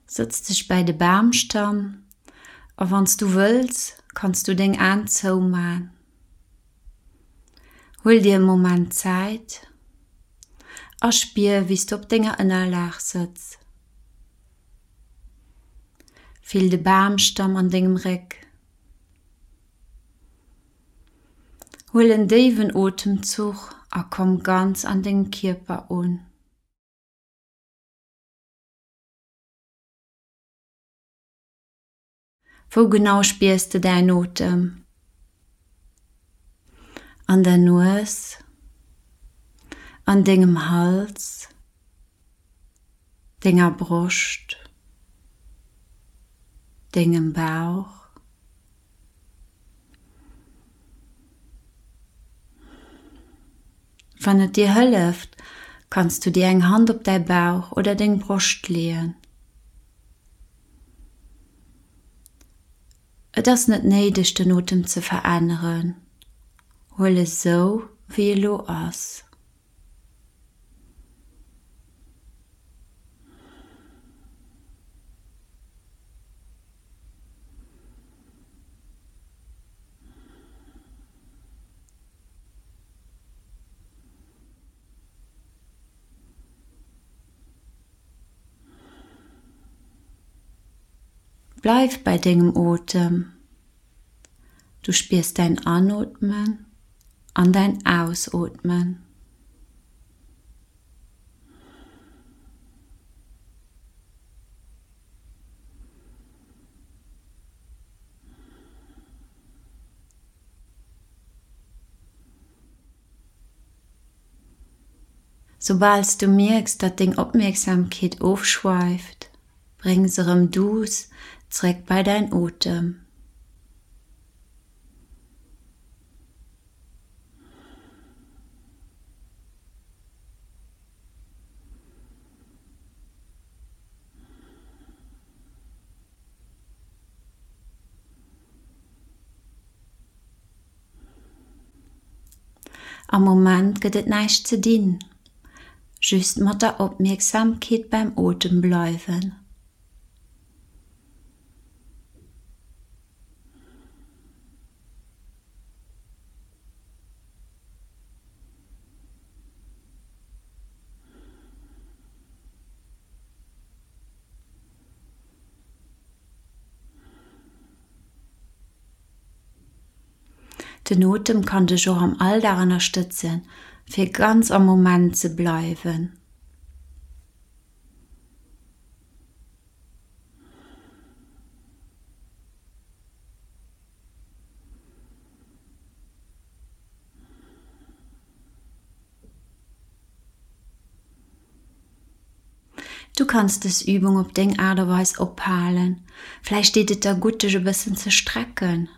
Sëtz dech bäi de Bamstamm a wann s du wëlls, kanns du deng Aen zouman. Huel dir e Moment Zäit a spier wéi s du op denger Ënnerlag sëtz. Fill de Bamstamm an dengem Réck. Huel en déiwen Otemzuch a komm ganz an dengem Kierper un. Wou genau spiers de däin Otem? An der Nues? An dengem Hals? Denger Broscht? Dengem Bauch? Wann et dir hëlleft, kanns du dir eng Hand op däi Bauch oder deng Broscht leeën. Et ass net néideg den Otem ze veränneren, huel e sou wéi e lo ass. Bleif bei dengem Otem. Du spiers däin Anootmen an däin Ausootmen. Soubal s du mierks, datt deng Opmierksamkeet ofschweift, bréng se erëm duuss zeréck bei däin Otem. Am Moment gëtt et näischt ze dinn, just mat der Opmierksamkeet beim Otem bleiwen. Den Otem kann dech och am Alldag ënnerstëtzen, fir ganz am Moment ze bleiwen. Du kanns dës Übung op deng Aart a Weis ophalen. Vläicht deet et der gutt, dech e bëssen ze strecken.